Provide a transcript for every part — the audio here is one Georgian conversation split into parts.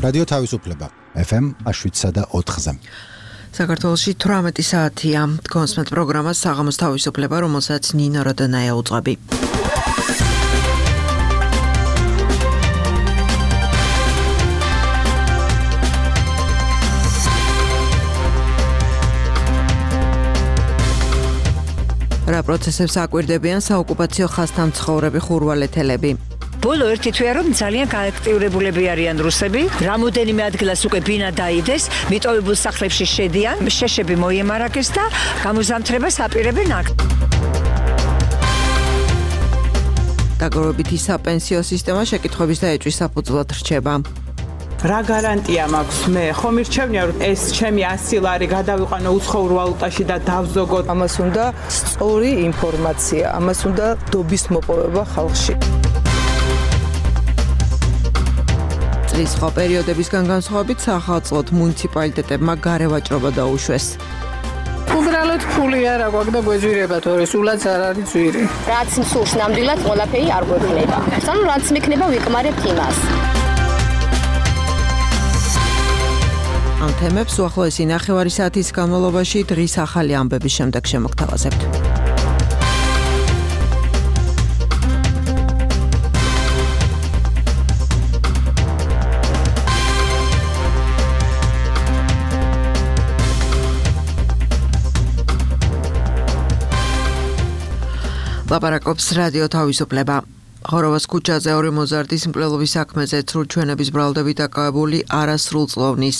რადიო თავისუფლება FM 7.4-ზე. საქართველოში 18 საათია. კონსმეთ პროგრამას საღამოს თავისუფლება, რომელსაც ნინო როდანაია უძღვები. რა პროცესებს აკვირდებიან საოკუპაციო ხაზთან მცხოვრები ხურვალეთელები. ბოლო ერთი თვეა რომ ძალიან გააქტიურებულები არიან რუსები. რამოდენიმე ადგილას უკვე ბინა დაიდეს, მიტოვებულ სახლებში შედიან, შეშები მოიემარაგეს და გამოზამთრებას აპირებენ აქ. დაგროვებითი საპენსიო სისტემა შეკითხვების და ეჭვის საფუძვლად რჩება. რა გარანტია მაქვს მე? ხომ მირჩევნია რომ ეს ჩემი 100 ლარი გადავიყვანო უცხოურ ვალუტაში და დავზოგოთ. ამას უნდა სწორი ინფორმაცია, ამას უნდა დობის მოპოვება ხალხში. წლის სხვა პერიოდებისგან განსხვავებით სახელმწიფო მუნიციპალიტეტებმა გარევაჭრობა დაუშვეს. უბრალოდ ფული არ აქვს და გვეძვირება თორე სულაც არ არის ძვირი. რაც მსურს ნამდვილად ყველაფერი არ გვექნება. ანუ რაც მექნება ვიკმარებთ იმას. ამ თემებს უახლოესი ნახევარი საათის განმავლობაში დღის ახალი ამბების შემდეგ შემოგთავაზებთ. ლაპარაკობს რადიო თავისუფლება. ხოროვას ქუჩაზე ორი მოზარდის მკვლელობის საქმეზე ცრუჩვენების ბრალდებით დაკავებული არასრულწლოვნის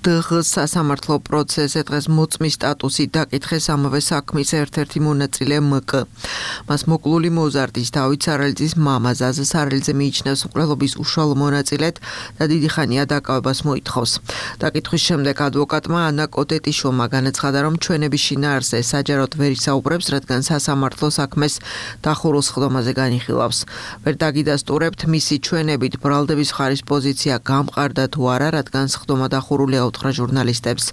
დღს სასამართლო პროცესზე დღეს მოწმის სტატუსით დაკითხეს ამავე საქმის ერთ-ერთი მონაწილე მკ. მას მოკლული მოზარდის დავით სარალიძის მამა ზაზა სარალიძე მიიჩნევს მკვლელობის უშუალო მონაწილედ და დიდი ხანია დაკავებას მოითხოვს. დაკითხვის შემდეგ ადვოკატმა ანა კოტეტიშვილმა განაცხადა, რომ ჩვენების შინაარსზე საჯაროდ ვერ ისაუბრებს, რადგან სასამართლო საქმეს დახურულ სხდომაზე განიხილავს. ვერ დაგიდასტურებთ მისი ჩვენებით ბრალდების მხარის პოზიცია გამყარდა თუ არა, რადგან სხდომა დახურულია უთხრა ჟურნალისტებს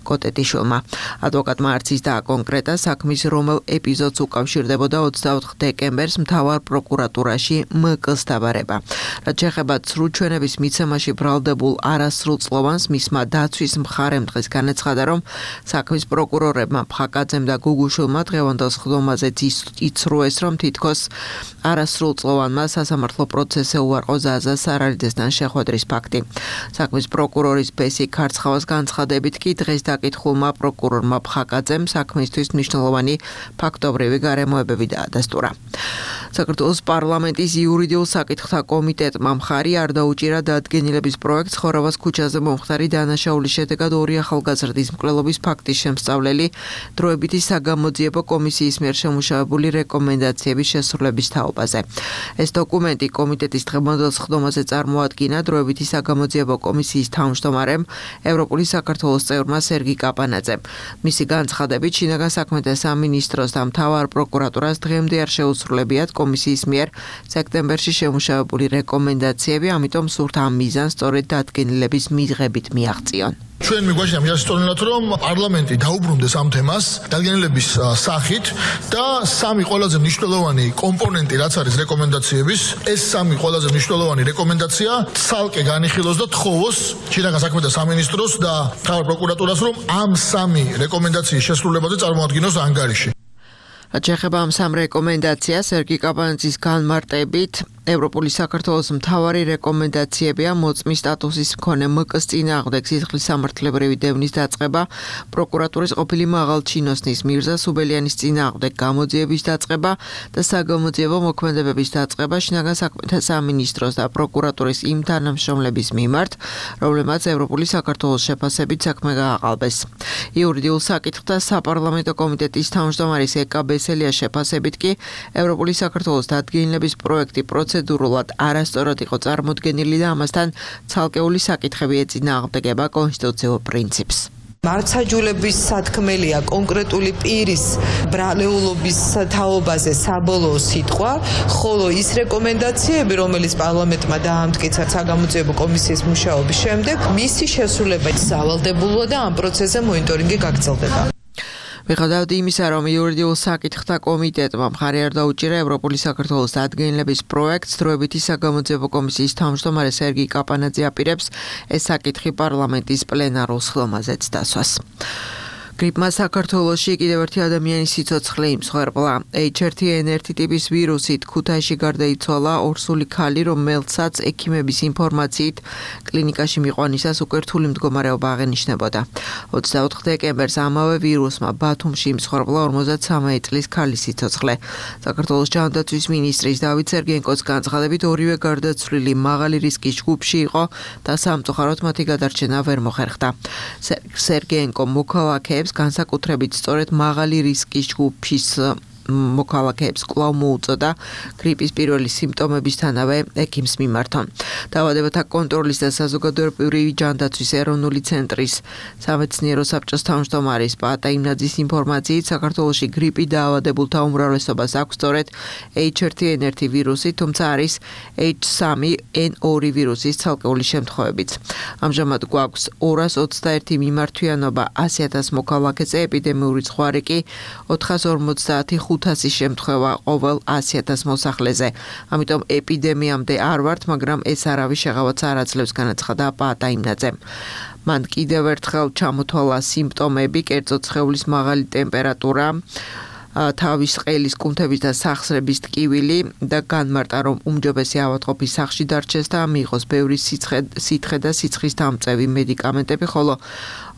კოტეტიშვილმა. ადვოკატმა არც ის დააკონკრეტა საქმის რომელ ეპიზოდს უკავშირდებოდა 24 დეკემბერს მთავარ პროკურატურაში მკ-ს დაბარება. რაც შეეხება ცრუჩვენების მიცემაში ბრალდებულ არასრულწლოვანს, მისმა დაცვის მხარემ დღეს განაცხადა, რომ საქმის პროკურორებმა ფხაკაძემ და გუგუშვილმა დღევანდელ სხდომაზეც იცრუეს, რომ თითქოს არასრულწლოვანმა სასამართლო პროცესზე უარყო ზაზა სარალიძესთან შეხვედრის ფაქტი. საქმის პროკურორის ბესი ქარცხავას განცხადებით კი დღეს დაკითხულმა პროკურორმა ფხაკაძემ საქმისთვის მნიშვნელოვანი ფაქტობრივი გარემოებები დაადასტურა. საქართველოს პარლამენტის იურიდიულ საკითხთა კომიტეტმა მხარი არ დაუჭირა დადგენილების პროექტს ხოროვას ქუჩაზე მომხდარი დანაშაულის შედეგად ორი ახალგაზრდის მკვლელობის ფაქტის შემსწავლელი დროებითი საგამოძიებო კომისიის მიერ შემუშავებული რეკომენდაციების შესრულების თაობაზე. ეს დოკუმენტი კომიტეტის დღევანდელ სხდომაზე წარმოადგინა დროებითი საგამოძიებო კომისიის თავმჯდომარემ ევროპული საქართველოს წევრმა სერგი კაპანაძემ. მისი განცხადებით შინაგან საქმეთა სამინისტროს და მთავარ პროკურატურას დღემდე არ შეუსრულებიათ კომისიის მიერ სექტემბერში შემუშავებული რეკომენდაციები, ამიტომ სურთ ამ მიზანს სწორედ დადგენილების მიღებით მიაღწიონ. ჩვენ მიგვაჩნია მიასწორებინათ, რომ პარლამენტი დაუბრუნდეს ამ თემას დადგენილების სახით და სამი ყველაზე მნიშვნელოვანი კომპონენტი, რაც არის რეკომენდაციების, ეს სამი ყველაზე მნიშვნელოვანი რეკომენდაცია ცალკე განიხილოს და თხოვოს შინაგან საქმეთა სამინისტროს და მთავარ პროკურატურას, რომ ამ სამი რეკომენდაციის შესრულებაზე წარმოადგინოს ანგარიში. რაც შეეხება ამ სამ რეკომენდაციას, სერგი კაპანაძის განმარტებით ევროპული საქართველოს მთავარი რეკომენდაციებია მოწმის სტატუსის მქონე მკ-ს წინააღმდეგ სისხლის სამართლებრივი დევნის დაწყება, პროკურატურის ყოფილი მაღალჩინოსნის მირზა სუბელიანის წინააღმდეგ გამოძიების დაწყება და საგამოძიებო მოქმედებების დაწყება შინაგან საქმეთა სამინისტროს და პროკურატურის იმ თანამშრომლების მიმართ, რომლებმაც ევროპული საქართველოს შეფასებით საქმე გააყალბეს. იურიდიულ საკითხთა საპარლამენტო კომიტეტის თავმჯდომარის ეკა ბესელია შეფასებით კი ევროპული საქართველოს დადგენილების პროექტი პროცედურულად არასწორად იყო წარმოდგენილი და ამასთან ცალკეული საკითხები ეწინააღმდეგება კონსტიტუციურ პრინციპს. მარცხაჯულების სათქმელია კონკრეტული პირის ბრალეულობის თაობაზე საბოლოო სიტყვა, ხოლო ის რეკომენდაციები, რომელიც პარლამენტმა დაამტკიცა საგამოძიებო კომისიის მუშაობის შემდეგ, მისი შესრულება სავალდებულოა და ამ პროცესზე მონიტორინგი გაგრძელდება. მიუხედავად იმისა, რომ იურიდიულ საკითხთა კომიტეტმა მხარი არ დაუჭირა ევროპული საქართველოს დადგენილების პროექტს, დროებითი საგამოძიებო კომისიის თავმჯდომარე სერგი კაპანაძე აპირებს ეს საკითხი პარლამენტის პლენარულ ხილვაზეც დასვას. გრიპმა საქართველოში კიდევ ერთი ადამიანის სიცოცხლე იმსხვერპლა. H1N1 ტიპის ვირუსით ქუთაისში გარდაიცვალა ორსული ქალი, რომელსაც ექიმების ინფორმაციით კლინიკაში მიყვანისას უკვე რთული მდგომარეობა აღენიშნებოდა. 24 დეკემბერს ამავე ვირუსმა ბათუმში იმსხვერპლა 53 წლის ქალის სიცოცხლე. საქართველოს ჯანდაცვის მინისტრის დავით სერგენკოს განცხადებით ორივე გარდაცვლილი მაღალი რისკის ჯგუფში იყო და სამწუხაროდ მათი გადარჩენა ვერ მოხერხდა. სერგენკო მოქალაქეებს განსაკუთრებით სწორედ მაღალი რისკის ჯგუფის მოქალაქეებს კვლავ მოუწოდა გრიპის პირველი სიმპტომებისთანავე ექიმს მიმართონ. დაავადებათა კონტროლის და საზოგადოებრივი ჯანდაცვის ეროვნული ცენტრის სამეცნიერო საბჭოს თავმჯდომარის პაატა იმნაძის ინფორმაციით საქართველოში გრიპი დაავადებულთა უმრავლესობას აქვს სწორედ H1N1 ვირუსი, თუმცა არის H3N2 ვირუსის ცალკეული შემთხვევებიც. ამჟამად გვაქვს 221 მიმართვიანობა 100,000 მოქალაქეზე, ეპიდემიური ზღვარი კი 450 შემთხვევა ყოველ 100,000 მოსახლეზე. ამიტომ ეპიდემიამდე არ ვართ, მაგრამ ეს არავის შეღავაც არ აძლევს, განაცხადა პაატა იმნაძემ. მან კიდევ ერთხელ ჩამოთვალა სიმპტომები, კერძოდ სხეულის მაღალი ტემპერატურა, თავის ყელის კუნთების და სახსრების ტკივილი და განმარტა, რომ უმჯობესი ავადმყოფის სახლში დარჩეს და მიიღოს ბევრი სითხე და სიცხის დამწევი მედიკამენტები, ხოლო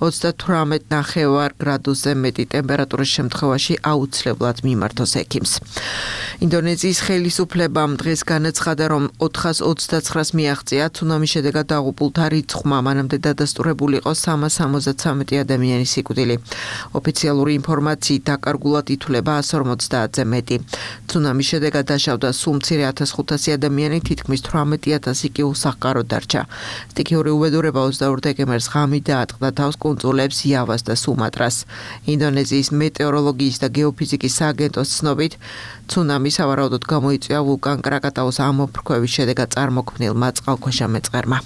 38.5 გრადუსზე მეტი ტემპერატურის შემთხვევაში აუცილებლად მიმართოს ექიმს. ინდონეზიის ხელისუფლებამ დღეს განაცხადა, რომ 429-ს მიაღწია ცუნამის შედეგად დაღუპულთა რიცხვმა, მანამდე დადასტურებული იყო 373 ადამიანის სიკვდილი. ოფიციალური ინფორმაციით დაკარგულად ითვლება 150-ზე მეტი. ცუნამის შედეგად დაშავდა სულ მცირე 1500 ადამიანი, თითქმის 18,000 კი უსახკაროდ დარჩა. სტიქიური უბედურება 22 დეკემბერს ღამით დაატყდა თავს კუნძულებს იავას და სუმატრას. ინდონეზიის მეტეოროლოგიის და გეოფიზიკის სააგენტოს ცნობით, ცუნამი სავარაუდოდ გამოიწვია ვულკან კრაკატაუს ამოფრქვევის შედეგად წარმოქმნილმა წყალქვეშა მეწყერმა.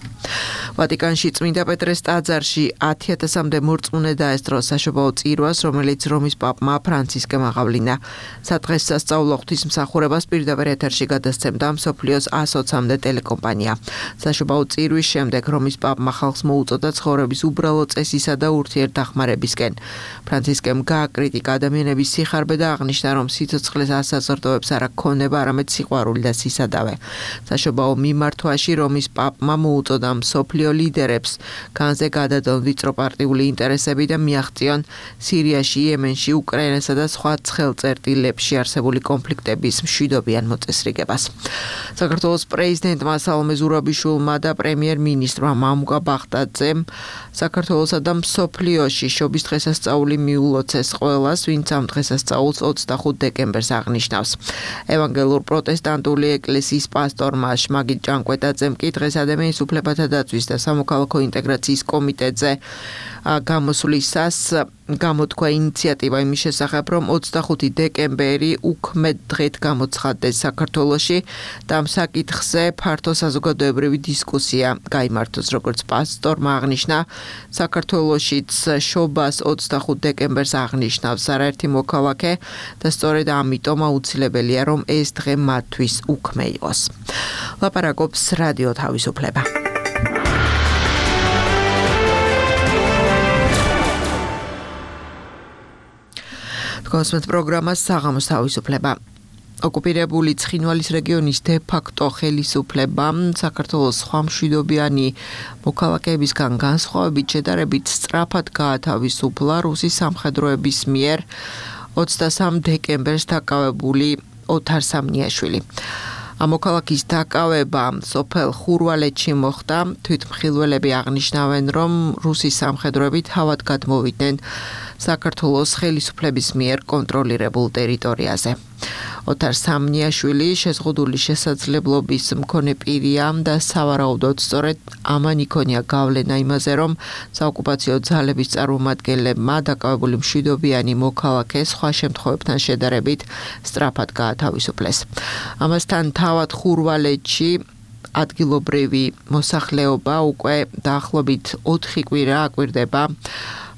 ვატიკანში წმინდა პეტრეს ტაძარში 10,000-მდე მორწმუნე დაესწრო საშობაო წირვას, რომელიც რომის პაპმა ფრანცისკემ აღავლინა. სადღესასწაულო ღვთისმსახურებას პირდაპირ ეთერში გადასცემდა მსოფლიოს 120-მდე ტელეკომპანია. საშობაო წირვის შემდეგ რომის პაპმა ხალხს მოუწოდა ცხოვრების უბრალო წესისა და ურთიერთდახმარებისკენ. ფრანცისკემ გააკრიტიკა ადამიანების სიხარბე და აღნიშნა, რომ სიცოცხლეს ასაზრდოებს არა ქონება, არამედ სიყვარული და სისადავე. საშობაო მიმართვაში რომის პაპმა მოუწოდა მსოფლიო ლიდერებს განზე გადადონ ვიწრო პარტიული ინტერესები და მიაღწიონ სირიაში, იემენში, უკრაინასა და სხვა ცხელწერტილებში არსებული კონფლიქტების მშვიდობიან მოწესრიგებას. საქართველოს პრეზიდენტმა სალომე ზურაბიშვილმა და პრემიერ-მინისტრმა მამუკა ბახტაძემ საქართველოსა და მსოფლიოში შობის დღესასწაული მიულოცეს ყველას, ვინც ამ დღესასწაულს 25 დეკემბერს აღნიშნავს. ევანგელურ პროტესტანტული ეკლესიის პასტორმა შმაგით ჭანკვეტაძემ კი დღეს ადამიანის უფლებათა დაცვის და სამოქალაქო ინტეგრაციის კომიტეტზე გამოსვლისას გამოთქვა ინიციატივა იმის შესახებ, რომ 25 დეკემბერი უქმედ დღედ გამოცხადდეს საქართველოში და ამ საკითხზე ფართო საზოგადოებრივი დისკუსია გაიმართოს, როგორც პასტორმა აღნიშნა, საქართველოშიც შობას 25 დეკემბერს აღნიშნავს არაერთი მოქალაქე და სწორედ ამიტომ აუცილებელია, რომ ეს დღე მათთვის უქმე იყოს. ლაპარაკობს რადიო თავისუფლება. კონსმეთ პროგრამას საღამოს თავისუფლება. ოკუპირებული ცხინვალის რეგიონის დე-ფაქტო ხელისუფლებამ საქართველოს სხვა მშვიდობიანი მოქალაქეებისგან განსხვავებით შედარებით სწრაფად გაათავისუფლა რუსის სამხედროების მიერ 23 დეკემბერს დაკავებული ოთარ სამნიაშვილი. ამოქალაქის დაკავება სოფელ ხურვალეთში მოხდა. თვითმხილველები აღნიშნავენ, რომ რუსის სამხედროები თავად გადმოვიდნენ საქართველოს ხელისუფლების მიერ კონტროლირებულ ტერიტორიაზე. ოთარ სამნიაშვილი შეზღუდული შესაძლებლობის მქონე პირია და სავარაუდოდ სწორედ ამან იქონია გავლენა იმაზე, რომ საოკუპაციო ძალების წარმომადგენლებმა დაკავებული მშვიდობიანი მოქალაქე სხვა შემთხვევებთან შედარებით სწრაფად გაათავისუფლეს. ამასთან თავად ხურვალეთში ადგილობრივი მოსახლეობა უკვე დაახლოებით 4 კვირა აკვირდება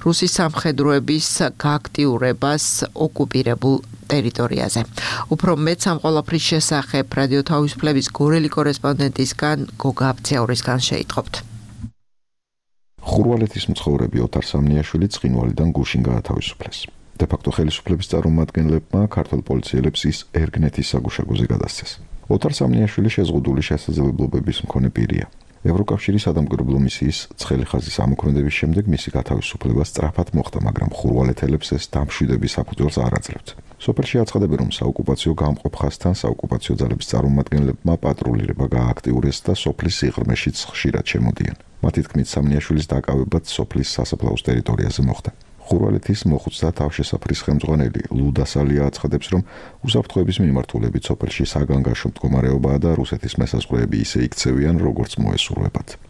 რუსის სამხედროების გააქტიურებას ოკუპირებულ ტერიტორიაზე. უფრო მეტ ამ ყველაფრის შესახებ რადიო თავისუფლების გორელი კორესპონდენტისგან გოგა აბცეურისგან შეიტყობთ. ხურვალეთის მცხოვრები ოთარ სამნიაშვილი ცხინვალიდან გუშინ გაათავისუფლეს. დე-ფაქტო ხელისუფლების წარმომადგენლებმა ქართულ პოლიციელებს ის ერგნეთის საგუშაგოზე გადასცეს. ოთარ სამნიაშვილი შეზღუდული შესაძლებლობების მქონე პირია. ევროკავშირის სადამკვირვებლო მისიის ცხელი ხაზის ამოქმედების შემდეგ მისი გათავისუფლება სწრაფად მოხდა, მაგრამ ხურვალეთელებს ეს დამშვიდების საფუძველს არ აძლევთ. სოფელში აცხადებენ, რომ საოკუპაციო გამყოფ ხაზთან საოკუპაციო ძალების წარმომადგენლებმა პატრულირება გააქტიურეს და სოფლის სიღრმეშიც ხშირად შემოდიან. მათი თქმით, სამნიაშვილის დაკავებაც სოფლის სასაფლაოს ტერიტორიაზე მოხდა. ხურვალეთის მოხუცთა თავშესაფრის ხელმძღვანელი ლუდასალია აცხადებს, რომ უსაფრთხოების მიმართულებით სოფელში საგანგაშო მდგომარეობაა და რუსეთის მესაზღვრეები ისე იქცევიან, როგორც მოესურვებათ.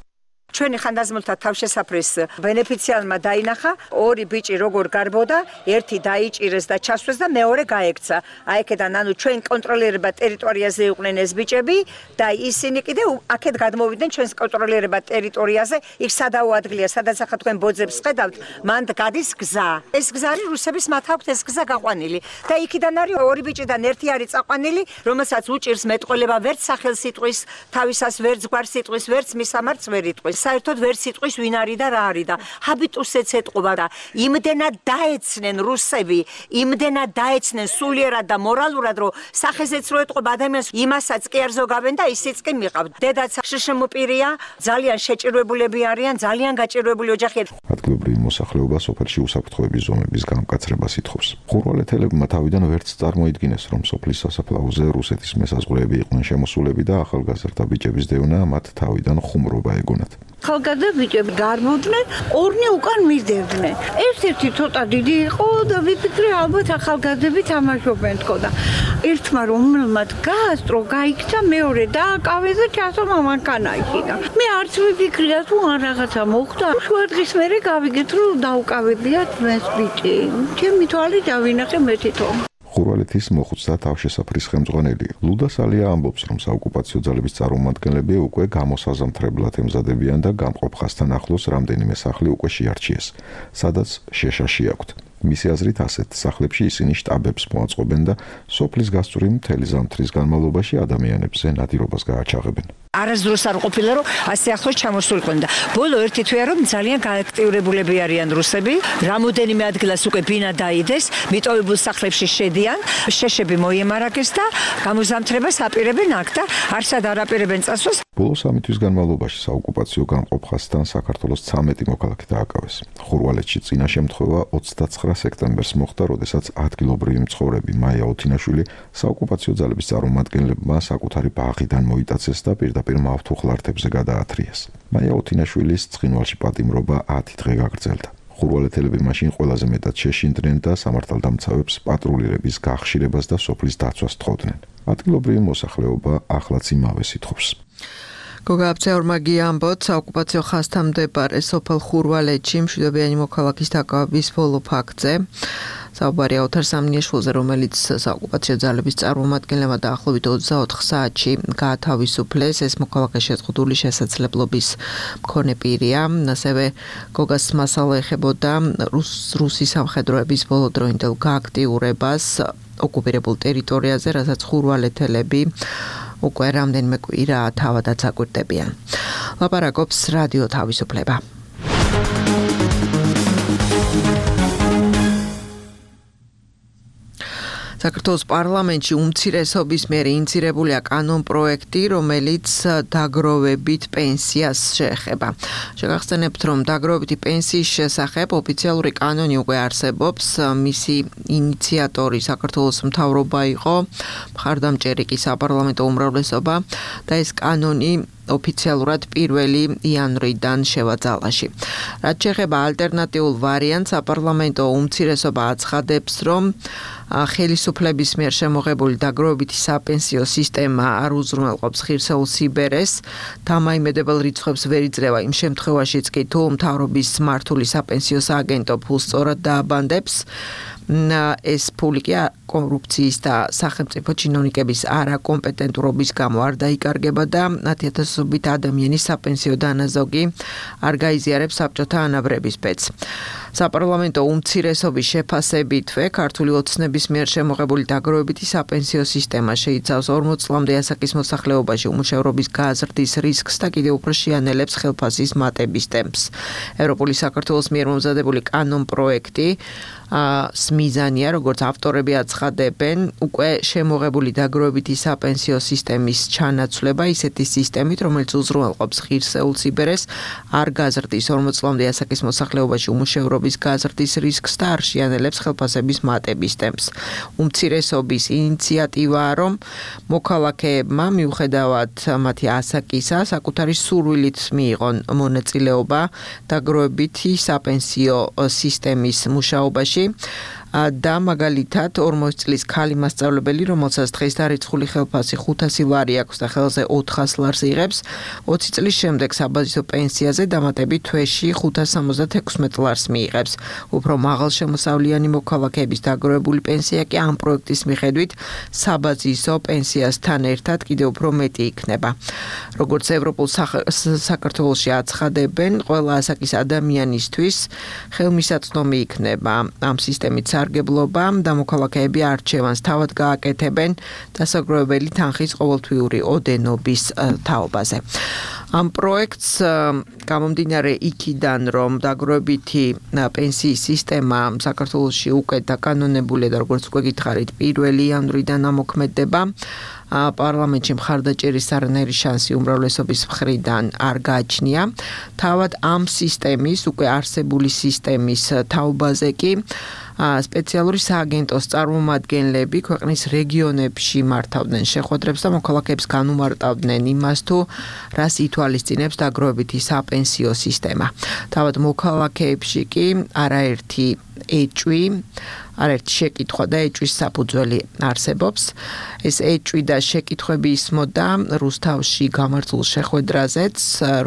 ჩვენი ხანდაზმულთა თავშესაფრის ბენეფიციალმა დაინახა ორი ბიჭი როგორ გარბოდა, ერთი დაიჭირეს და ჩასვეს და მეორე გაექცა. აიქედან ანუ ჩვენ კონტროლირება ტერიტორიაზე იყვნენ ეს ბიჭები და ისინი კიდე აქეთ გადმოვიდნენ ჩვენს კონტროლირება ტერიტორიაზე, იქ სადაო ადგილია, სადაც ახლა თქვენ ბოძებს ხედავთ, მანდ გადის გზა. ეს გზა არის რუსების მათ აქვთ ეს გზა გაყვანილი და იქიდან არის ორი ბიჭიდან ერთი არის წაყვანილი, რომელსაც უჭირს მეტყველება ვერც სახელს იტყვის, თავისას ვერც გვარს იტყვის, ვერც მისამართს ვერ იტყვის. საერთოდ ვერ სიტყვის ვინ არის და რა არის და ჰაბიტუსეც ეტყობა და იმდენად დაეცნენ რუსები, იმდენად დაეცნენ სულიერად და მორალურად, რომ სახეზეც რო ეტყობა ადამიანს, იმასაც კი არ ზოგავენ და ისიც კი მიყავთ. დედაც შშმ პირია, ძალიან შეჭირვებულები არიან, ძალიან გაჭირვებული ოჯახია. ადგილობრივი მოსახლეობა სოფელში უსაფრთხოების ზომების გამკაცრებას ითხოვს. ხურვალეთელებმა თავიდან ვერც წარმოიდგინეს, რომ სოფლის სასაფლაოზე რუსეთის მესაზღვრეები იყვნენ შემოსულები და ახალგაზრდა ბიჭების დევნა მათ თავიდან ხუმრობა ეგონათ. ხალხგაზრდა ბიჭები გარბოდნენ, ორნი უკან მისდევდნენ. ერთ-ერთი ცოტა დიდი იყო და ვიფიქრე ალბათ ახალგაზრდები თამაშობენ თქო და ერთმა რომელმაც გაასწრო, გაიქცა, მეორე დააკავეს და ჩასო მამანქანაში. მე არც ვიფიქრია თუ ან რაღაცა მოხდა. შუა დღის მერე გავიგეთ, რომ დაუკავებიათ მეს ბიჭი. ჩემი თვალით დავინახე მე თვითონ. ხურვალეთის მოხუცთა თავშესაფრის ხელმძღვანელი ლუდასალია ამბობს, რომ საოკუპაციო ძალების წარმომადგენლები უკვე გამოსაზამთრებლად ემზადებიან და გამყოფ ხაზთან ახლოს რამდენიმე სახლი უკვე შეარჩიეს, სადაც შეშაში აქვთ. მისი აზრით ასეთ სახლებში ისინი შტაბებს მოაწყობენ და სოფლის გასწვრივ მთელი ზამთრის განმავლობაში ადამიანებზე ნადირობას გააჩაღებენ. არასდროს არ ყოფილა რომ ასე ახლოს ჩამოსულიყვნენ და ბოლო ერთი თვეა რომ ძალიან გააქტიურებულები არიან რუსები, რამოდენიმე ადგილას უკვე ბინა დაიდეს, მიტოვებულ სახლებში შედიან, შეშები მოიემარაგეს და გამოზამთრებას აპირებენ აქ და არსად არ აპირებენ წასვლას. ბოლო 3 თვის განმავლობაში საოკუპაციო გამყოფ ხაზთან საქართველოს 13 მოქალაქე დააკავეს. ხურვალეთში წინა შემთხვევა 29 სექტემბერს მოხდა, როდესაც ადგილობრივი მცხოვრები მაია ოთინაშვილი საოკუპაციო ძალების წარმომადგენლებმა საკუთარი ბაღიდან მოიტაცეს და პირდაპირ მავთუხლართებზე გადაათრიეს. მაია ოთინაშვილის ცხინვალში პატიმრობა 10 დღე გაგრძელდა. ხურვალეთელები მაშინ ყველაზე მეტად შეშინდნენ და სამართალდამცავებს პატრულირების გახშირებას და სოფლის დაცვას თხოვდნენ. ადგილობრივი მოსახლეობა ახლაც იმავეს ითხოვს. გოგა აბცეურმა გიამბოთ, საოკუპაციო ხაზთან მდებარე სოფელ ხურვალეთში მშვიდობიანი მოქალაქის დაკავების ბოლო ფაქტზე. საუბარია ოთარ სამნიაშვილზე, რომელიც საოკუპაციო ძალების წარმომადგენლებმა დაახლოებით 24 საათში გაათავისუფლეს. ეს მოქალაქე შეზღუდული შესაძლებლობის მქონე პირია. ასევე გოგას მასალა ეხებოდა რუსის სამხედროების ბოლოდროინდელ გააქტიურებას ოკუპირებულ ტერიტორიაზე, რასაც ხურვალეთელები უკვე რამდენიმე კვირა თავადაც აკვირდებიან. ლაპარაკობს რადიო თავისუფლება. საქართველოს პარლამენტში უმცირესობის მიერ ინიცირებულია კანონპროექტი, რომელიც დაგროვებით პენსიას შეეხება. შეგახსენებთ, რომ დაგროვებითი პენსიის შესახებ ოფიციალური კანონი უკვე არსებობს. მისი ინიციატორი საქართველოს მთავრობა იყო, მხარდამჭერი კი საპარლამენტო უმრავლესობა და ეს კანონი ოფიციალურად 1 იანვრიდან შევაძალაში. რაც შეეხება ალტერნატიულ ვარიანტს, საპარლამენტო უმცირესობა აცხადებს, რომ ხელისუფლების მიერ შემოღებული დაგროვებითი საპენსიო სისტემა არ უზრუნველყოფს ღირსეულ სიბერეს, დამაიმედებელ რიცხვებს ვერ იძლევა იმ შემთხვევაშიც კი თუ მთავრობის მართული საპენსიო სააგენტო ფულს სწორად დააბანდებს. ეს ფული კი კორუფციის და სახელმწიფო ჩინოვნიკების არაკომპეტენტურობის გამო არ დაიკარგება და 10,000-ობით ადამიანის საპენსიო დანაზოგი არ გაიზიარებს საბჭოთა ანაბრების ბედს. საპარლამენტო უმცირესობის შეფასებითვე ქართული ოცნების მიერ შემოღებული დაგროვებითი საპენსიო სისტემა შეიცავს 40 წლამდე ასაკის მოსახლეობაში უმუშევრობის გაზრდის რისკს და კიდევ უფრო შეანელებს ხელფასის მატების ტემპს. ევროპული საქართველოს მიერ მომზადებული კანონ პროექტი მიზანია, როგორც ავტორები აცხადებენ, უკვე შემოღებული დაგროვებითი საპენსიო სისტემის ჩანაცვლება ისეთი სისტემით, რომელიც უზრუნველყოფს ღირსეულ სიბერეს, არ გაზრდის 40 წლამდე ასაკის მოსახლეობაში უმუშევრობის გაზრდის რისკს და არ შეანელებს ხელფასების მატების ტემპს. უმცირესობის ინიციატივაა, რომ მოქალაქეებმა მიუხედავად მათი ასაკისა, საკუთარი სურვილით მიიღონ მონაწილეობა დაგროვებითი საპენსიო სისტემის მუშაობაში. და მაგალითად 40 წლის ქალი მასწავლებელი, რომელსაც დღეს დარიცხული ხელფასი 500 ლარი აქვს და ხელზე 400 ლარს იღებს, 20 წლის შემდეგ საბაზისო პენსიაზე დამატებით თვეში 576 ლარს მიიღებს. უფრო მაღალშემოსავლიანი მოქალაქეების დაგროვებული პენსია კი ამ პროექტის მიხედვით საბაზისო პენსიასთან ერთად კიდევ უფრო მეტი იქნება. როგორც ევროპულ საქართველოში აცხადებენ, ყველა ასაკის ადამიანისთვის ხელმისაწვდომი იქნება ამ სისტემით სარგებლობა და მოქალაქეები არჩევანს თავად გააკეთებენ დასაგროვებელი თანხის ყოველთვიური ოდენობის თაობაზე. ამ პროექტს გამომდინარე იქიდან, რომ დაგროვებითი პენსიის სისტემა საქართველოში უკვე დაკანონებულია და როგორც უკვე გითხარით, 1 იანვრიდან ამოქმედება. პარლამენტში მხარდაჭერის არანაირი შანსი უმრავლესობის მხრიდან არ გააჩნია. თავად ამ სისტემის, უკვე არსებული სისტემის თაობაზე კი სპეციალური სააგენტოს წარმომადგენლები ქვეყნის რეგიონებში მართავდნენ შეხვედრებს და მოქალაქეებს განუმარტავდნენ იმას, თუ რას ითვალისწინებს დაგროვებითი საპენსიო სისტემა. თავად მოქალაქეებში კი არაერთი ეჭვი, არაერთი შეკითხვა და ეჭვის საფუძველი არსებობს. ეს ეჭვი და შეკითხვები ისმოდა რუსთავში გამართულ შეხვედრაზეც,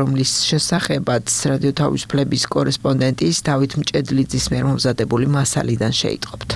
რომლის შესახებაც რადიო თავისუფლების კორესპონდენტის დავით მჭედლიძის მიერ მომზადებული მასალიდან შეიტყობთ.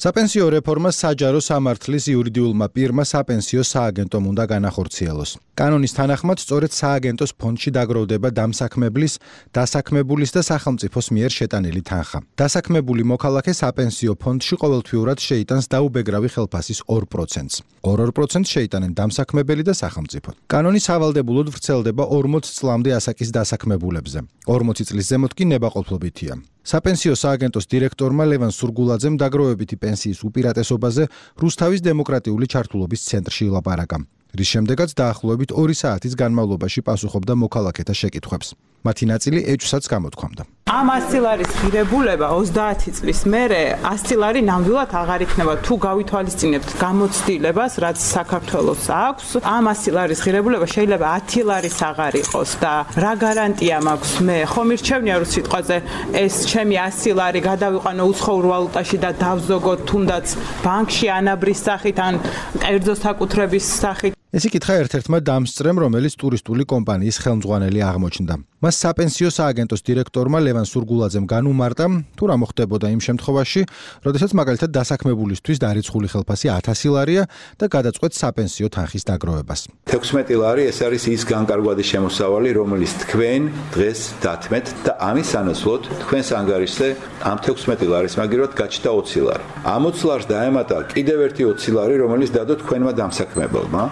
საპენსიო რეფორმა საჯარო სამართლის იურიდიულმა პირმა საპენსიო სააგენტომ უნდა განახორციელოს. კანონის თანახმად, სწორედ სააგენტოს ფონდში დაგროვდება დამსაქმებლის, დასაქმებულის და სახელმწიფოს მიერ შეტანილი თანხა. დასაქმებული მოქალაქე საპენსიო ფონდში ყოველთვიურად შეიტანს დაუბეგრავი ხელფასის 2%-ს. 2% შეიტანენ დამსაქმებელი და სახელმწიფო. კანონი სავალდებულოდ ვრცელდება 40 წლამდე ასაკის დასაქმებულებზე. 40 წლის ზემოთ კი ნებაყოფლობითია. საპენსიო სააგენტოს დირექტორმა ლევან სურგულაძემ დაგროვებითი პენსიის უპირატესობაზე რუსთავის დემოკრატიული ჩართულობის ცენტრში ილაპარაკა, რის შემდეგაც დაახლოებით 2 საათის განმავლობაში პასუხობდა მოქალაქეთა შეკითხვებს. მათი ნაწილი ეჭვსაც გამოთქვამდა. ამ 100 ლარის ღირებულება 30 წლის მერე 100 ლარი ნამდვილად აღარ იქნება, თუ გავითვალისწინებთ გამოცდილებას, რაც საქართველოს აქვს. ამ 100 ლარის ღირებულება შეიძლება 10 ლარის აღარ იყოს და რა გარანტია მაქვს მე? ხომ მირჩევნია რომ სიტყვაზე ეს ჩემი 100 ლარი გადავიყვანო უცხოურ ვალუტაში და დავზოგოთ თუნდაც ბანკში ანაბრის სახით ან კერძო საკუთრების სახით. ეს იკითხა ერთ-ერთმა დამსწრემ, რომელიც ტურისტული კომპანიის ხელმძღვანელი აღმოჩნდა. მას საპენსიო სააგენტოს დირექტორმა ლევან სურგულაძემ განუმარტა, თუ რა მოხდებოდა იმ შემთხვევაში, როდესაც მაგალითად დასაქმებულისთვის დარიცხული ხელფასი 1000 ლარია და გადაწყვეტს საპენსიო თანხის დაგროვებას. 16 ლარი ეს არის ის განკარგვადი შემოსავალი, რომელიც თქვენ დღეს დათმეთ და ამის სანაცვლოდ თქვენს ანგარიშზე ამ 16 ლარის მაგივრად გაჩნდა 20 ლარი. ამ 20 ლარს დაემატა კიდევ ერთი 20 ლარი, რომელიც დადო თქვენმა დამსაქმებელმა.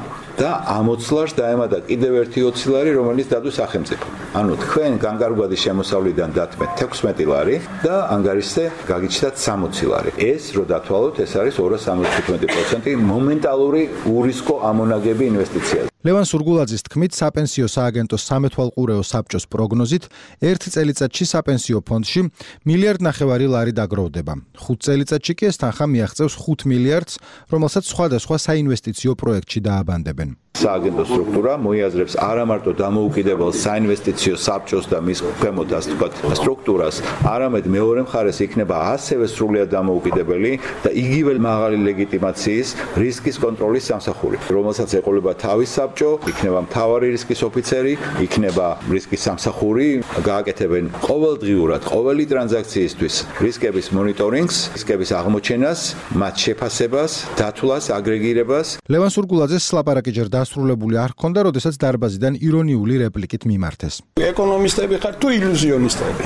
და ამ 20 ლარს დაემატა კიდევ ერთი 20 ლარი, რომელიც დადო სახელმწიფო. ანუ თქვენ განკარგვადი შემოსავლიდან დათმეთ 16 ლარი და ანგარიშზე გაგიჩნდათ 60 ლარი. ეს რო დათვალოთ, ეს არის 275% მომენტალური ურისკო ამონაგები ინვესტიციაზე. ლევან სურგულაძის თქმით, საპენსიო სააგენტოს სამეთვალყურეო საბჭოს პროგნოზით, 1 წელიწადში საპენსიო ფონდში 1,5 მილიარდი ლარი დაგროვდება. 5 წელიწადში კი ეს თანხა მიაღწევს 5 მილიარდს, რომელსაც სხვადასხვა საინვესტიციო პროექტში დააბანდებენ. სააგენტო სტრუქტურა მოიაზრებს არა მარტო დამოუკიდებელ საინვესტიციო საბჭოს და მის ქვემოთ ასე ვთქვათ სტრუქტურას, არამედ მეორე მხარეს იქნება ასევე სრულიად დამოუკიდებელი და იგივე მაღალი ლეგიტიმაციის რისკის კონტროლის სამსახური, რომელსაც ეყოლება თავის საბჭო, იქნება მთავარი რისკის ოფიცერი, იქნება რისკის სამსახური, გააკეთებენ ყოველდღიურად ყოველი ტრანზაქციისთვის რისკების მონიტორინგს, რისკების აღმოჩენას, მათ შეფასებას, დათვლას, აგრეგირებას. ლევან სურგულაძეს ლაპარაკი ჯერ დასრულებული არ ჰქონდა, როდესაც დარბაზიდან ირონიული რეპლიკით მიმართეს. ეკონომისტები ხარ თუ ილუზიონისტები?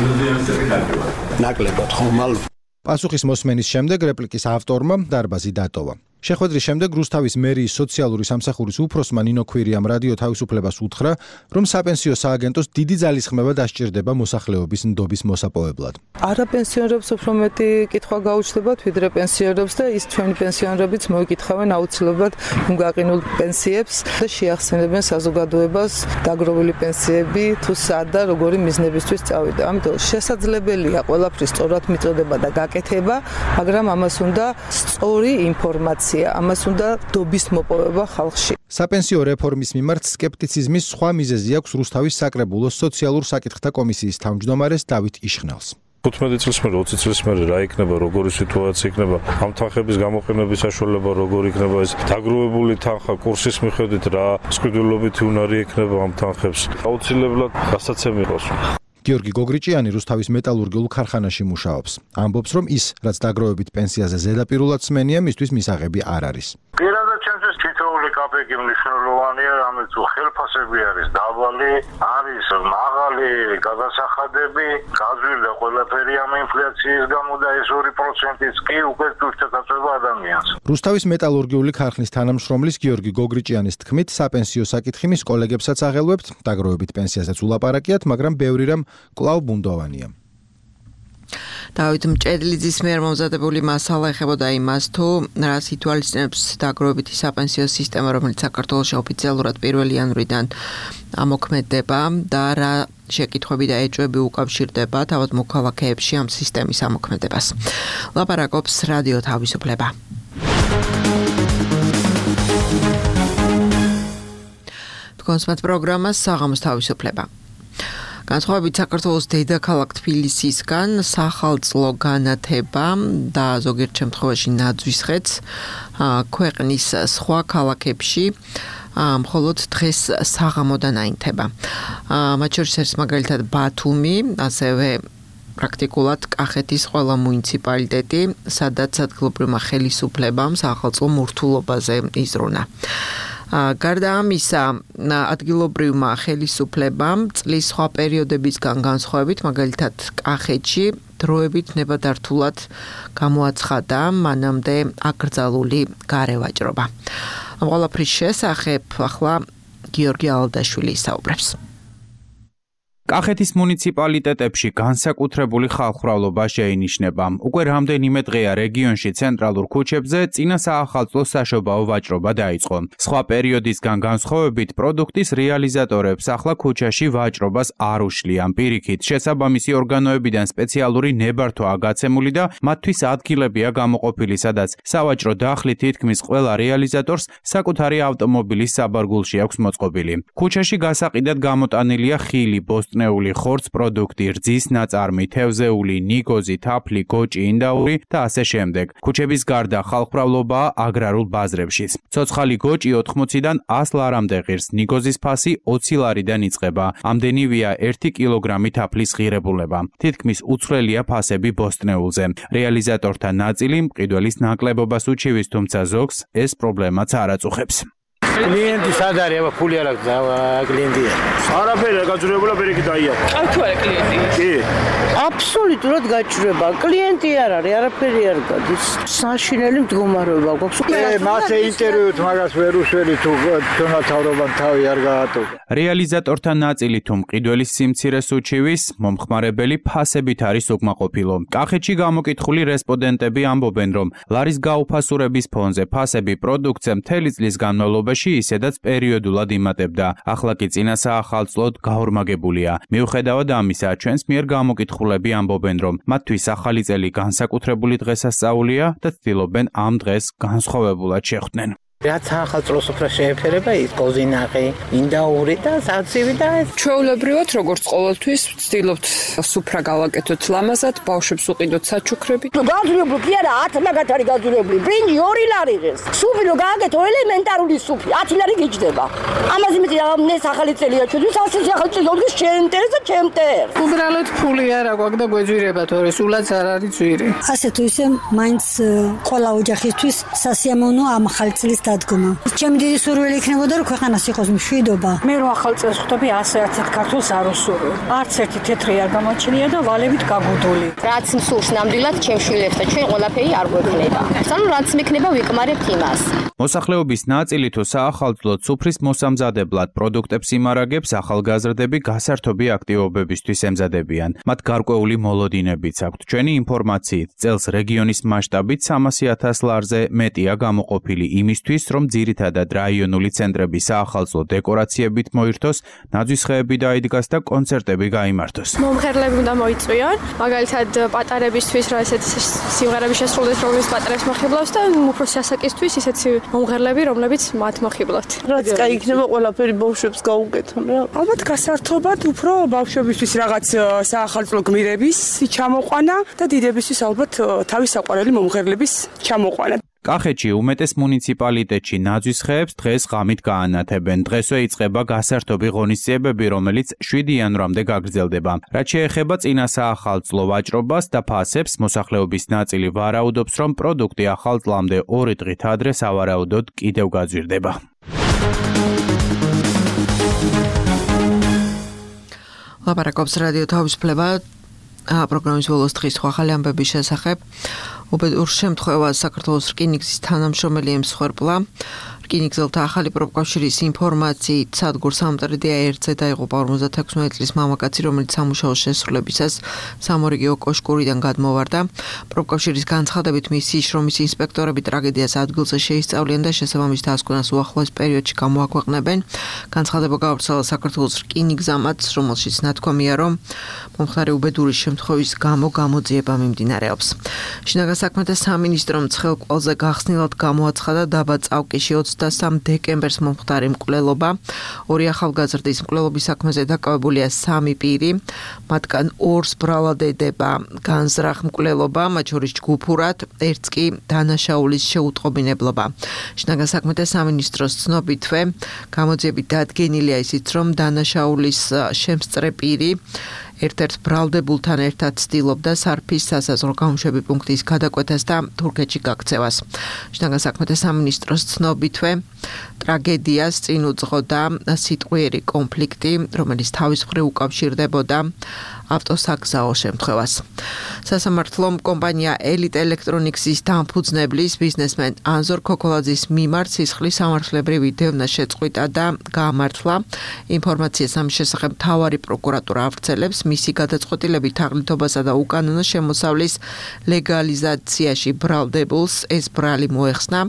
ილუზიონისტები ნაკლებად ხომალ. პასუხის მოსმენის შემდეგ რეპლიკის ავტორმა დარბაზი დატოვა. შეხვედრის შემდეგ რუსთავის მერიის სოციალური სამსახურის უფროსმა ნინო ქვირიამ რადიო თავისუფლებას უთხრა, რომ საპენსიო სააგენტოს დიდი ძალისხმევა დასჭირდება მოსახლეობის ნდობის მოსაპოვებლად. არა პენსიონერებს უფრო მეტი კითხვა გაუჩნდებათ, ვიდრე პენსიონერებს და ის ჩვენი პენსიონერებიც მოიკითხავენ აუცილებლად გაყინულ პენსიებს და შეახსენებენ საზოგადოებას დაგროვილი პენსიები თუ სად და როგორი მიზნებისთვის წავიდა. ამიტომ შესაძლებელია ყველაფრის სწორად მიწოდება და გაკეთება, მაგრამ ამას უნდა სწორი ინფორმაცია. ამას უნდა დობის მოპოვება ხალხში. საპენსიო რეფორმის მიმართ სკეპტიციზმის სხვა მიზეზი აქვს რუსთავის საკრებულოს სოციალურ საკითხთა კომისიის თავმჯდომარეს დავით იშხნელს. 15 წლის მერე 20 წლის მერე რა იქნება, როგორი სიტუაცია იქნება, ამ თანხების გამოყენების საშუალება როგორი იქნება, ეს დაგროვებული თანხა კურსის მიხედვით რა სყიდულობითი უნარი იქნება ამ თანხებს. აუცილებლად გასაცემი იყოს. გიორგი გოგრიჭიანი რუსთავის მეტალურგიულ ქარხანაში მუშაობს. ამბობს, რომ ის, რაც დაგროვებით პენსიაზე ზედაპირულად სმენია, მისთვის მისაღები არ არის. პირადად ჩემთვის თითოეული კაპეკი მნიშვნელოვანია, რამაც ხელფასები არის დაბალი, არის მაღალი გადასახადები, გაძვირდა ყველაფერი ამ ინფლაციის გამო და ეს 2%-იც კი უკვე უშეცდება ადამიანს. რუსთავის მეტალურგიული ქარხნის თანამშრომლის გიორგი გოგრიჭიანის თქმით, საპენსიო საკითხი მის კოლეგებსაც აღელვებთ, დაგროვებით პენსიაზეც ულაპარაკიათ, მაგრამ ბევრი რამ კვლავ ბუნდოვანია. დავით მჭედლიძის მიერ მომზადებული მასალა ეხებოდა იმას, თუ რას ითვალისწინებს დაგროვებითი საპენსიო სისტემა, რომელიც საქართველოში ოფიციალურად 1 იანვრიდან ამოქმედება და რა შეკითხვები და ეჭვები უკავშირდება თავად მოქალაქეებში ამ სისტემის ამოქმედებას. ლაპარაკობს რადიო თავისუფლება. თქვენს პროგრამას საღამოს თავისუფლება. განსხვავებით საქართველოს დედაქალაქ თბილისისგან სახალწლო განათება და ზოგიერთ შემთხვევაში ნაძვისხეც ქვეყნის სხვა ქალაქებში მხოლოდ დღეს საღამოდან აინთება. მათ შორის არის მაგალითად ბათუმი, ასევე პრაქტიკულად კახეთის ყველა მუნიციპალიტეტი, სადაც ადგილობრივმა ხელისუფლებამ სახალწლო მორთულობაზე იზრუნა. გარდა ამისა, ადგილობრივმა ხელისუფლებამ წლის სხვა პერიოდებისგან განსხვავებით, მაგალითად კახეთში დროებით ნებადართულად გამოაცხადა მანამდე აკრძალული გარევაჭრობა. ამ ყველაფრის შესახებ ახლა გიორგი ალდაშვილი ისაუბრებს. კახეთის მუნიციპალიტეტებში განსაკუთრებული ხალხმრავლობა შეინიშნება. უკვე რამდენიმე დღეა რეგიონში ცენტრალურ ქუჩებზე წინა საახალწლო საშობაო ვაჭრობა დაიწყო. სხვა პერიოდისგან განსხვავებით პროდუქტის რეალიზატორებს ახლა ქუჩაში ვაჭრობას არ უშლიან. პირიქით, შესაბამისი ორგანოებიდან სპეციალური ნებართვა გაცემული და მათთვის ადგილებია გამოყოფილი, სადაც სავაჭრო დახლი თითქმის ყველა რეალიზატორს საკუთარი ავტომობილის საბარგულში აქვს მოწყობილი. ქუჩაში გასაყიდად გამოტანილია ხილი, ნეული ხორცს პროდუქტი, რძის ნაწარმი, თევზეული, ნიგოზი, თაფლი, გოჭი, ინდაური და ასე შემდეგ. ქუჩების გარდა ხალხმრავლობაა აგრარულ ბაზრებშიც. ცოცხალი გოჭი 80-დან 100 ლარამდე ღირს, ნიგოზის ფასი 20 ლარიდან იწყება. ამდენივეა 1 კილოგრამი თაფლის ღირებულება. თითქმის უცვლელია ფასები ბოსტნეულზე. რეალიზატორთა ნაწილი მყიდველის ნაკლებობას უჩივის, თუმცა ზოგს ეს პრობლემაც არ აწუხებს. კლიენტი სად არის? აბა ფული არ აქვს კლიენტია. არაფერი გაჭრებულა პერიკი დაიაფა. აი თუ არა კლიენტი. კი. აბსოლუტურად გაჭრება. კლიენტი არ არის, არაფერი არ გადის. საშინელი მდგომარეობა გვაქვს. მასე ინტერვიუთ მაგას ვერ უშველი თუ ჩვენთავრობამ თავი არ გაატოვე. რეალიზატორთა ნაწილი თუ მყიდველის სიმცირეს უჩივის, მომხმარებელი ფასებით არის უკმაყოფილო. კახეთში გამოკითხული რესპონდენტები ამბობენ, რომ ლარის გაუფასურების ფონზე ფასები პროდუქტზე მთელი წლის განმავლობაში ისედაც პერიოდულად იმატებდა. ახლა კი წინა საახალწლოდ გაორმაგებულია. მიუხედავად ამისა, ჩვენს მიერ გამოკითხულები ამბობენ, რომ მათთვის ახალი წელი განსაკუთრებული დღესასწაულია და ცდილობენ ამ დღეს განსხვავებულად შეხვდნენ. რაც ახალწლოს უფრო შეეფერება ის კოზინაღი, ინდაური და საცივი და ეს. ჩვეულებრივად როგორც ყოველთვის ვცდილობთ სუფრა გავაკეთოთ ლამაზად, ბავშვებს უყიდოთ საჩუქრები. გაძვირებული კი არა, 10 მაგათ არის გაძვირებული. ბრინჯი 2 ლარი ღირს. სუფი რო გააკეთო ელემენტარული სუფი, 10 ლარი გიჯდება. ამაზე მეტი ამნეს ახალი წელია ჩვენთვის, ასეთი ახალი წელი ოღონდ ჩემტერ და ჩემტერ. უბრალოდ ფული არა გვაქვს და გვეძვირება თორე სულაც არ არის ძვირი. ასე თუ ისე მაინც ყველა ოჯახისთვის სასიამოვნო ამ ახალი წლის დადგომა. ჩემი დიდი სურვილი იქნებოდა რომ ქვეყანას იყოს მშვიდობა. მე რო ახალ წელს ხვდები ასე არცერთ ქართულს არ უსურვებ. არც ერთი თეთრი არ გამოჩნია და ვალებით გაგუდული. რაც მსურს ნამდვილად ჩემ შვილებს და ჩვენ ყველაფერი არ გვექნება. ანუ რაც მექნება ვიკმარებთ იმას. მოსახლეობის ნაწილი თუ საახალწლოდ სუფრის მოსამზადებლად პროდუქტებს იმარაგებს, ახალგაზრდები გასართობი აქტივობებისთვის ემზადებიან. მათ გარკვეული მოლოდინებიც აქვთ. ჩვენი ინფორმაციით, წელს რეგიონის მასშტაბით 300,000 ლარზე მეტია გამოყოფილი იმისთვის, რომ ძირითადად რაიონული ცენტრები საახალწლო დეკორაციებით მოირთოს, ნაძვისხეები დაიდგას და კონცერტები გაიმართოს. მომღერლები უნდა მოიწვიონ, მაგალითად პატარებისთვის რა ესეთი სიმღერები შესრულდეს, რომლის პატარებს მოხიბლავს და უფროსი ასაკისთვის ისეთი მომღერლები, რომლებიც მათ მოხიბლავთ. რაც კაი იქნება ყველაფერი ბავშვებს გაუკეთონ რა. ალბათ გასართობად უფრო ბავშვებისთვის რაღაც საახალწლო გმირების ჩამოყვანა და დიდებისთვის ალბათ თავის საყვარელი მომღერლების ჩამოყვანა. კახეთში უმეტეს მუნიციპალიტეტში ნაძვისხეებს დღეს ღამით გაანათებენ. დღესვე იწყება გასართობი ღონისძიებები, რომელიც 7 იანვრამდე გაგრძელდება. რაც შეეხება წინა საახალწლო ვაჭრობას და ფასებს, მოსახლეობის ნაწილი ვარაუდობს, რომ პროდუქტი ახალ წლამდე 2 დღით ადრე სავარაუდოდ კიდევ გაძვირდება. ლაპარაკობს რადიო თავისუფლება პროგრამის ბოლოს დღის ახალი ამბების შესახებ. უბედურ შემთხვევას საქართველოს რკინიგზის თანამშრომელი ემსხვერპლა. რკინიგზელთა ახალი პროფკავშირის ინფორმაციით სადგურს სამტრედია 1-ზე დაიღუპა 56 წლის მამაკაცი, რომელიც სამუშაო შესრულებისას სამორიგეო კოშკურიდან გადმოვარდა. პროფკავშირის განცხადებით მისი შრომის ინსპექტორები ტრაგედიას ადგილზე შეისწავლიან და შესაბამის დასკვნას უახლოეს პერიოდში გამოაქვეყნებენ. განცხადება გავრცელა საქართველოს რკინიგზამაც, რომელშიც ნათქვამია, რომ მომხდარი უბედური შემთხვევის გამო გამოძიება მიმდინარეობს. შინაგან საქმეთა სამინისტრომ ცხელკვალზე გახსნილად გამოაცხადა დაბა წავკიში 23 დეკემბერს მომხდარი მკვლელობა. 2 ახალგაზრდის მკვლელობის საქმეზე დაკავებულია 3 პირი. მათგან 2-ს ბრალად ედება განზრახ მკვლელობა, მათ შორის ჯგუფურად, 1-ს კი დანაშაულის შეუტყობინებლობა. შინაგან საქმეთა სამინისტროს ცნობითვე გამოძიებით დადგენილია ისიც, რომ დანაშაულის შემსწრე პირი ერთ-ერთ ბრალდებულთან ერთად ცდილობდა სარფის სასაზღვრო გამოშვების პუნქტის გადაკვეთას და თურქეთში გაქცევას. შინაგან საქმეთა სამინისტროს ცნობითვე ტრაგედიას წინ უძღოდა სიტყვიერი კონფლიქტი, რომელიც თავის მხრივ უკავშირდებოდა ავტოსაგზაო შემთხვევას. სასამართლომ კომპანია Elite Electronics-ის დამფუძნებლის ბიზნესმენ ანზორ ქოქოლაძის მიმართ სისხლის სამართლებრივი დევნა შეწყვიტა და გაამართლა. ინფორმაციას ამის შესახებ მთავარი პროკურატურა ავრცელებს. მისი გადაწყვეტილებით თაღლითობასა და უკანონო შემოსავლის ლეგალიზაციაში ბრალდებულს ეს ბრალი მოეხსნა.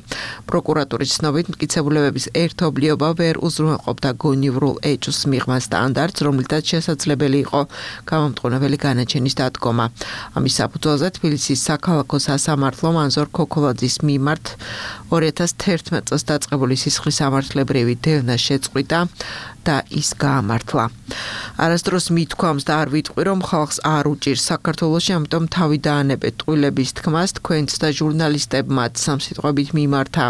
პროკურატურის ცნობით მტკიცებულებების ერთობლიობა ვერ უზრუნველყოფდა გონივრულ ეჭვს მიღმა სტანდარტს, რომლითაც შესაძლებელი იყო გამომტყუნებელი განაჩენის დადგომა. ამის საფუძველზე თბილისის საქალაქო სასამართლომ ანზორ ქოქოლაძის მიმართ 2011 წელს დაწყებული სისხლის სამართლებრივი დევნა შეწყვიტა და ის გაამართლა. არასდროს მithქვამს და არ ვიტყვი, რომ ხალხს არ უჭირს საქართველოში, ამიტომ თავი დაანებეთ ტყუილების თქმას, თქვენც და ჟურნალისტებმაც სამსიტყვებით მიმართა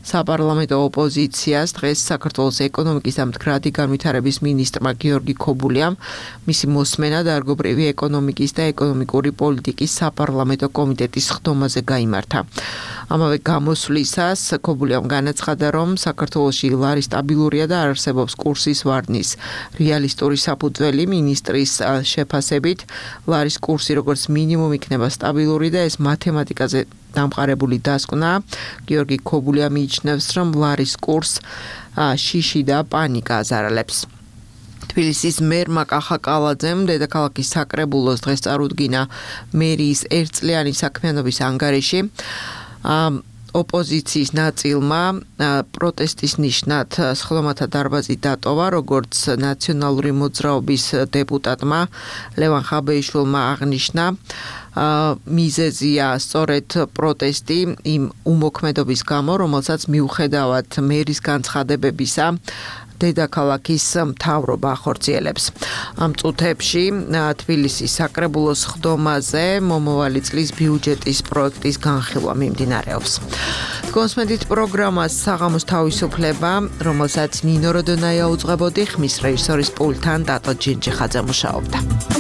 საპარლამენტო ოპოზიციას. დღეს საქართველოს ეკონომიკის და მდგრადი განვითარების მინისტრმა გიორგი ქობულიამ მისი მოსმენა დარგობრივი ეკონომიკის და ეკონომიკური პოლიტიკის საპარლამენტო კომიტეტის ხდომაზე გაიმართა. ამავე გამოსვლისას ქობულიამ განაცხადა, რომ საქართველოში ლარი სტაბილურია და არ არსებობს კურსის ვარდნის რეალისტური საფუძველი. მინისტრის შეფასებით ლარის კურსი როგორც მინიმუმ იქნება სტაბილური და ეს მათემატიკაზე დამყარებული დასკვნა. გიორგი ქობულია მიიჩნევს, რომ ლარის კურს შიში და პანიკა აზარალებს. თბილისის მერმა კახა კალაძემ დედაქალაქის საკრებულოს დღეს წარუდგინა მერიის ერთწლიანი საქმიანობის ანგარიში. ოპოზიციის ნაწილმა პროტესტის ნიშნად სხდომათა დარბაზი დატოვა, როგორც ნაციონალური მოძრაობის დეპუტატმა ლევან ხაბეიშვილმა აღნიშნა. მიზეზია სწორედ პროტესტი იმ უმოქმედობის გამო, რომელსაც მიუხედავად მერის განცხადებებისა დედაქალაქის მთავრობა ახორციელებს. ამ წუთებში თბილისის საკრებულოს ხდომაზე მომავალი წლის ბიუჯეტის პროექტის განხილვა მიმდინარეობს. კონსმედით პროგრამას საღამოს თავისუფლება, რომელსაც ნინო როდონაია უძღვებოდი, ხმის რეჟისორის პულტთან დატო ჯინჯიხაძე მუშაობდა.